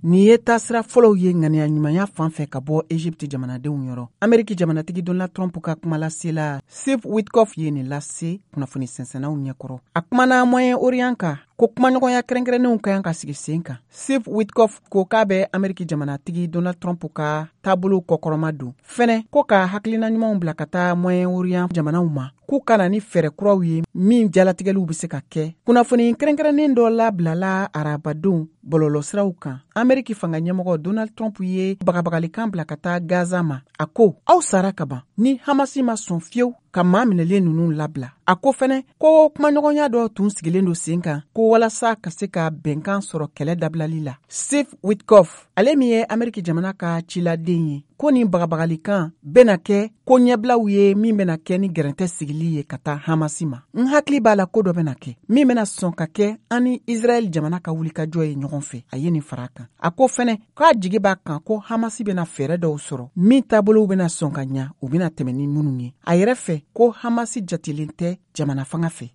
Nin ye taasira fɔlɔw ye ŋaniya ɲumanya fan fɛ ka bɔ Egypte jamanadenw yɔrɔ. Ameriki jamanatigi Donald Trump ka kumalasela Steve Witkoff ye nin lase kunnafoni sɛnsɛnnaw ɲɛkɔrɔ. A kumana Moyen-Orient kan ko kumaɲɔgɔnya kɛrɛnkɛrɛnnenw ka kan ka sigi sen kan. Steve Witkoff ko k'a bɛ Ameriki jamanatigi Donald Trump ka taabolow kɔkɔrɔma don fɛnɛ, ko ka hakilina ɲumanw bila ka taa Moyen-Orient jamanaw ma, k'u ka na ni fɛɛrɛ kuraw ye min jalatigɛliw bɛ se ka kɛ. Kunnafoni kɛrɛnkɛrɛnnen dɔ labilala arabadon bɔlɔlɔsiraw kan. Ameriki fanga ɲɛmɔgɔ Donald Trump ye bagabagalikan bila ka taa Gaza ma. A ko aw sara ka ban ni Hamasi ma sɔn fiyewu ka maa minɛlen ninnu labila. A ko fɛnɛ ko kumaɲɔgɔnya dɔ tun sigilen don sen kan ko walasa ka se ka bɛnkan sɔrɔ kɛlɛ dabilali la. Steve Witkoff, ale min ye Ameriki jamana ka ciladen ye, ko nin bagabagalikan bɛna kɛ ko ɲɛbilaw ye min bɛna kɛ ni gɛrɛntɛ sigili ye ka taa Hamasi ma. N hakili b'a la ko dɔ bɛna kɛ min bɛna sɔn ka kɛ an ni Israɛl jamana ka wulikajɔ ye ɲɔgɔn fɛ. A ye nin fara kan. A ko fɛnɛ k'a jigi b'a kan ko Hamasi bɛna fɛɛrɛ dɔw sɔrɔ min taabolow bɛna sɔn ka ɲa, u bɛna tɛmɛ ni minnu ye. A yɛrɛ fɛ ko Hamasi jatelen tɛ jamana fanga fɛ.